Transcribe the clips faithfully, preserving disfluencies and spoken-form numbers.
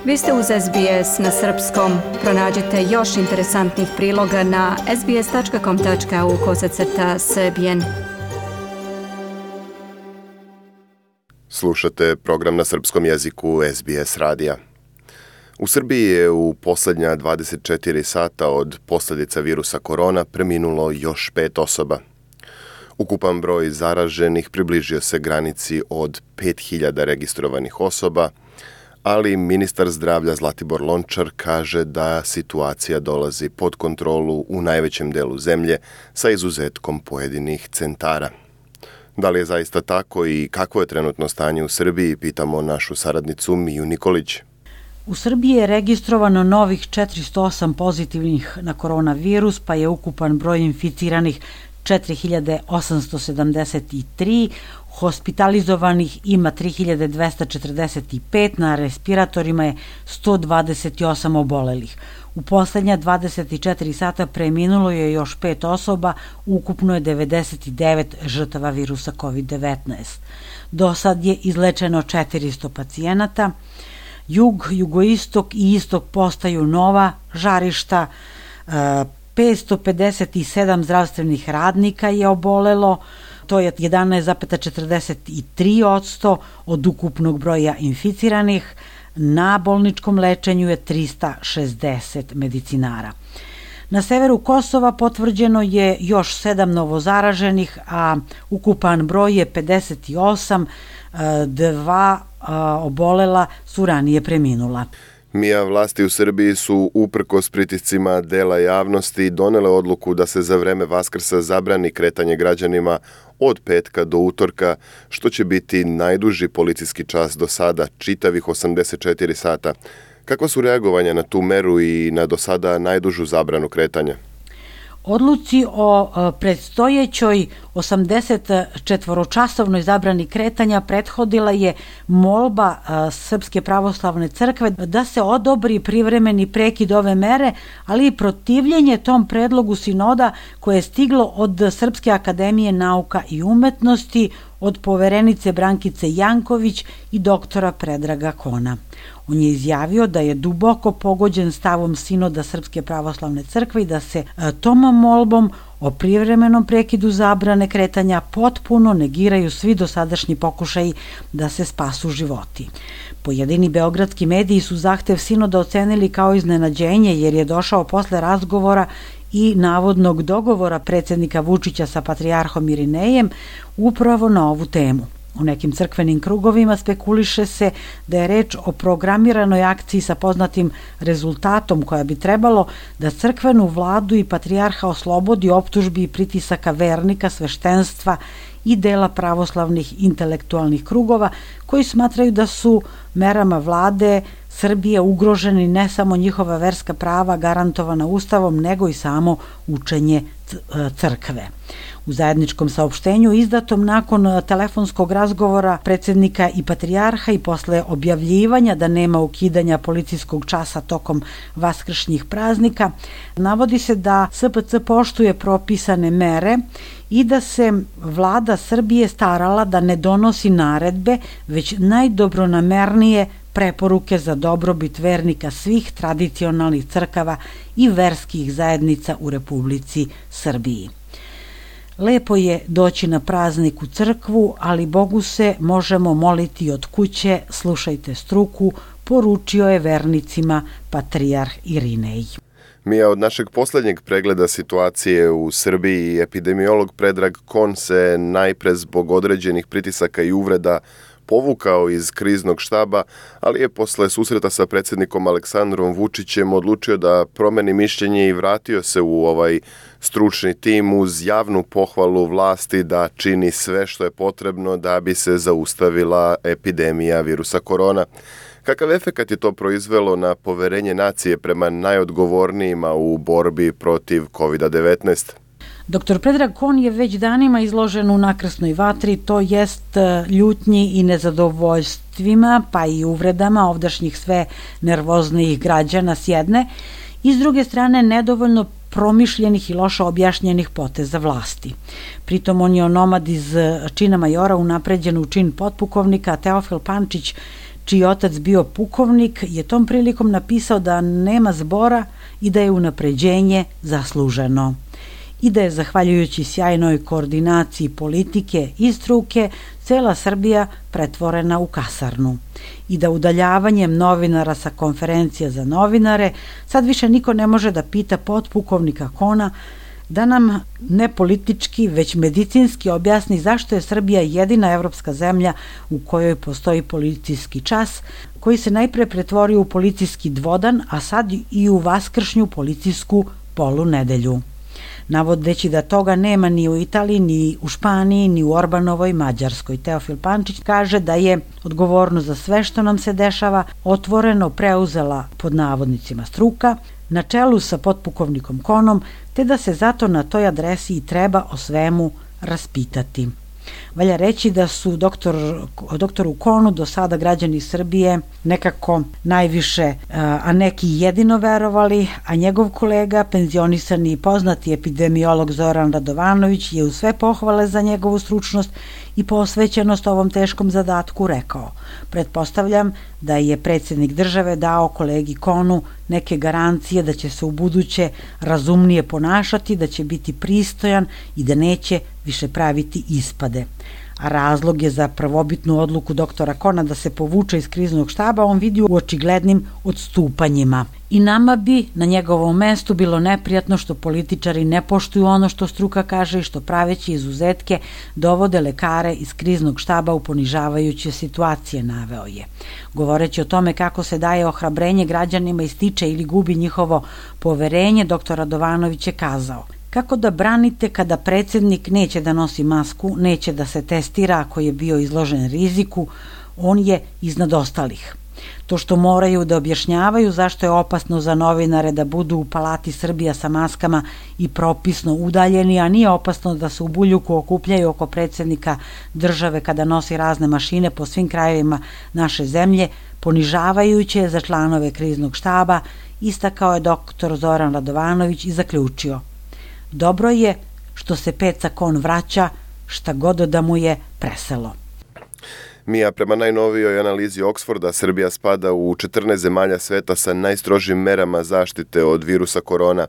Vi ste uz S B S na srpskom. Pronađite još interesantnih priloga na sbs.com.au kosacrta srbijen. Slušate program na srpskom jeziku S B S radija. U Srbiji je u posljednja dvadeset četiri sata od posljedica virusa korona preminulo još pet osoba. Ukupan broj zaraženih približio se granici od pet hiljada registrovanih osoba, ali ministar zdravlja Zlatibor Lončar kaže da situacija dolazi pod kontrolu u najvećem delu zemlje sa izuzetkom pojedinih centara. Da li je zaista tako i kakvo je trenutno stanje u Srbiji, pitamo našu saradnicu Miju Nikolić. U Srbiji je registrovano novih četiristo osam pozitivnih na koronavirus, pa je ukupan broj inficiranih četiri hiljade osamsto sedamdeset tri, hospitalizovanih ima tri hiljade dvesta četrdeset pet, na respiratorima je sto dvadeset osam obolelih. U poslednja dvadeset četiri sata preminulo je još pet osoba, ukupno je devedeset devet žrtava virusa kovid devetnaest. Do sad je izlečeno četiristo pacijenata. Jug, jugoistok i istok postaju nova žarišta, petsto pedeset sedam zdravstvenih radnika je obolelo, to je jedanaest zarez četrdeset tri posto od ukupnog broja inficiranih, na bolničkom lečenju je trista šezdeset medicinara. Na severu Kosova potvrđeno je još sedam novozaraženih, a ukupan broj je pedeset osam, dva obolela su ranije preminula. Mija, vlasti u Srbiji su uprkos pritiscima dela javnosti donele odluku da se za vreme Vaskrsa zabrani kretanje građanima od petka do utorka, što će biti najduži policijski čas do sada, čitavih osamdeset četiri sata. Kakva su reagovanja na tu meru i na do sada najdužu zabranu kretanja? Odluci o predstojećoj osamdeset četvoročasovnoj zabrani kretanja prethodila je molba Srpske pravoslavne crkve da se odobri privremeni prekid ove mere, ali i protivljenje tom predlogu sinoda koje je stiglo od Srpske akademije nauka i umetnosti, od poverenice Brankice Janković i doktora Predraga Kona. On je izjavio da je duboko pogođen stavom sinoda Srpske pravoslavne crkve i da se tom molbom o privremenom prekidu zabrane kretanja potpuno negiraju svi dosadašnji pokušaji da se spasu životi. Pojedini beogradski mediji su zahtev sinoda ocenili kao iznenađenje jer je došao posle razgovora i navodnog dogovora predsjednika Vučića sa patrijarhom Irinejem upravo na ovu temu. U nekim crkvenim krugovima spekuliše se da je reč o programiranoj akciji sa poznatim rezultatom koja bi trebalo da crkvenu vladu i patrijarha oslobodi optužbi i pritisaka vernika, sveštenstva i dela pravoslavnih intelektualnih krugova koji smatraju da su merama vlade Srbije ugroženi ne samo njihova verska prava garantovana Ustavom, nego i samo učenje crkve. U zajedničkom saopštenju izdatom nakon telefonskog razgovora predsjednika i patrijarha i posle objavljivanja da nema ukidanja policijskog časa tokom vaskršnjih praznika, navodi se da S P C poštuje propisane mere i da se vlada Srbije starala da ne donosi naredbe, već najdobronamernije preporuke za dobrobit vernika svih tradicionalnih crkava i verskih zajednica u Republici Srbiji. Lepo je doći na praznik u crkvu, ali Bogu se možemo moliti od kuće, slušajte struku, poručio je vernicima patrijarh Irinej. Mija, od našeg posljednjeg pregleda situacije u Srbiji epidemiolog Predrag Kon se najpre zbog određenih pritisaka i uvreda povukao iz kriznog štaba, ali je posle susreta sa predsjednikom Aleksandrom Vučićem odlučio da promeni mišljenje i vratio se u ovaj stručni tim uz javnu pohvalu vlasti da čini sve što je potrebno da bi se zaustavila epidemija virusa korona. Kakav efekat je to proizvelo na poverenje nacije prema najodgovornijima u borbi protiv kovid devetnaest? Doktor Predrag Kon je već danima izložen u nakrsnoj vatri, to jest ljutnji i nezadovoljstvima, pa i uvredama ovdašnjih sve nervoznijih građana s jedne, i s druge strane nedovoljno promišljenih i loše objašnjenih poteza vlasti. Pritom on je onomad iz čina majora unapređen u čin potpukovnika, a Teofil Pančić, čiji otac bio pukovnik, je tom prilikom napisao da nema zbora i da je unapređenje zasluženo i da je zahvaljujući sjajnoj koordinaciji politike i struke cela Srbija pretvorena u kasarnu i da udaljavanjem novinara sa konferencija za novinare sad više niko ne može da pita potpukovnika Kona da nam ne politički, već medicinski objasni zašto je Srbija jedina evropska zemlja u kojoj postoji policijski čas, koji se najpre pretvorio u policijski dvodan, a sad i u vaskršnju policijsku polunedelju. Navodeći da toga nema ni u Italiji, ni u Španiji, ni u Orbanovoj Mađarskoj. Teofil Pančić kaže da je odgovornost za sve što nam se dešava otvoreno preuzela pod navodnicima struka, na čelu sa potpukovnikom Konom, te da se zato na toj adresi i treba o svemu raspitati. Valja reći da su doktor, doktoru Konu do sada građani Srbije nekako najviše, a neki jedino verovali, a njegov kolega, penzionisani i poznati epidemiolog Zoran Radovanović je u sve pohvale za njegovu stručnost i posvećenost ovom teškom zadatku rekao: pretpostavljam da je predsjednik države dao kolegi Konu neke garancije da će se u buduće razumnije ponašati, da će biti pristojan i da neće više praviti ispade. A razlog je za prvobitnu odluku doktora Kona da se povuče iz kriznog štaba on vidi u očiglednim odstupanjima. I nama bi na njegovom mestu bilo neprijatno što političari ne poštuju ono što struka kaže i što praveći izuzetke dovode lekare iz kriznog štaba u ponižavajuće situacije, naveo je. Govoreći o tome kako se daje ohrabrenje građanima i stiče ili gubi njihovo poverenje, doktor Radovanović je kazao: kako da branite kada predsjednik neće da nosi masku, neće da se testira ako je bio izložen riziku, on je iznad ostalih. To što moraju da objašnjavaju zašto je opasno za novinare da budu u Palati Srbija sa maskama i propisno udaljeni, a nije opasno da se u Buljuku okupljaju oko predsjednika države kada nosi razne mašine po svim krajevima naše zemlje, ponižavajuće je za članove kriznog štaba, istakao je doktor Zoran Radovanović i zaključio: dobro je što se Peca Kon vraća, šta god da mu je preselo. Mija, prema najnovijoj analizi Oxforda, Srbija spada u četrnaest zemalja sveta sa najstrožim merama zaštite od virusa korona,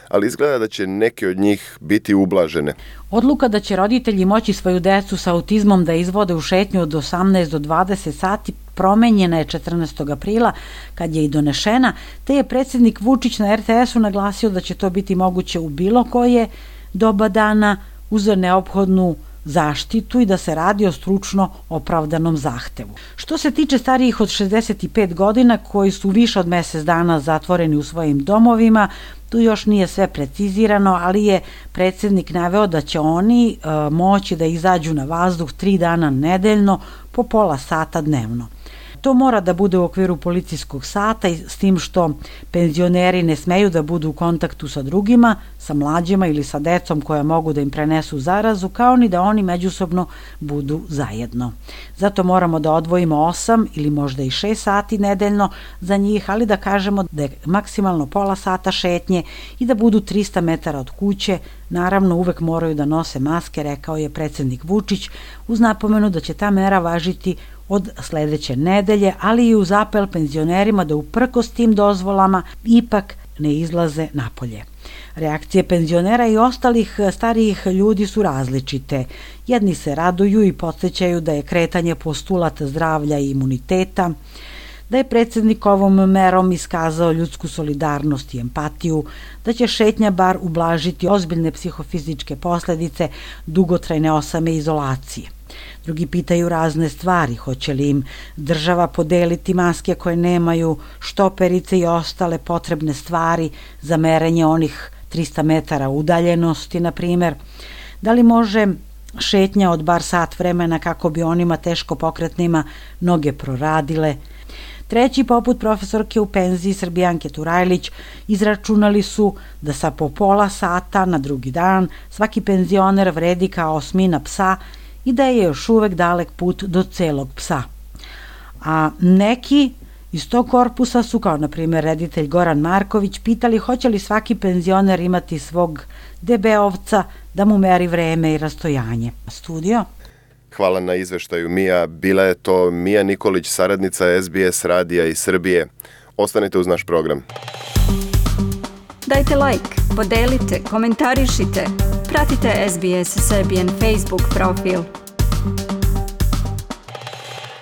ali izgleda da će neke od njih biti ublažene. Odluka da će roditelji moći svoju decu sa autizmom da izvode u šetnju od osamnaest do dvadeset sati promenjena je četrnaestog aprila kad je i donešena, te je predsjednik Vučić na er te esu naglasio da će to biti moguće u bilo koje doba dana uz neophodnu zaštitu i da se radi o stručno opravdanom zahtevu. Što se tiče starijih od šezdeset pet godina koji su više od mjesec dana zatvoreni u svojim domovima, tu još nije sve precizirano, ali je predsjednik naveo da će oni e, moći da izađu na vazduh tri dana nedeljno po pola sata dnevno. To mora da bude u okviru policijskog sata i s tim što penzioneri ne smeju da budu u kontaktu sa drugima, sa mlađima ili sa decom koja mogu da im prenesu zarazu, kao ni da oni međusobno budu zajedno. Zato moramo da odvojimo osam ili možda i šest sati nedeljno za njih, ali da kažemo da je maksimalno pola sata šetnje i da budu trista metara od kuće. Naravno, uvek moraju da nose maske, rekao je predsjednik Vučić, uz napomenu da će ta mera važiti od sledeće nedelje, ali i uz apel penzionerima da uprkos tim dozvolama ipak ne izlaze napolje. Reakcije penzionera i ostalih starijih ljudi su različite. Jedni se raduju i podsjećaju da je kretanje postulat zdravlja i imuniteta, da je predsjednik ovom merom iskazao ljudsku solidarnost i empatiju, da će šetnja bar ublažiti ozbiljne psihofizičke posledice dugotrajne osame izolacije. Drugi pitaju razne stvari, hoće li im država podeliti maske koje nemaju štoperice i ostale potrebne stvari za merenje onih trista metara udaljenosti, na primjer. Da li može šetnja od bar sat vremena kako bi onima teško pokretnima noge proradile? Treći, poput profesorke u penziji Srbijanke Turajlić, izračunali su da sa po pola sata na drugi dan svaki penzioner vredi kao osmina psa i da je još uvek dalek put do celog psa. A neki iz tog korpusa su, kao na primjer reditelj Goran Marković, pitali hoće li svaki penzioner imati svog debeovca da mu meri vreme i rastojanje. Studio? Hvala na izveštaju, Mija. Bila je to Mija Nikolić, saradnica S B S radija iz Srbije. Ostanite uz naš program. Dajte like, podelite, komentarišite. Pratite S B S Serbian Facebook profil.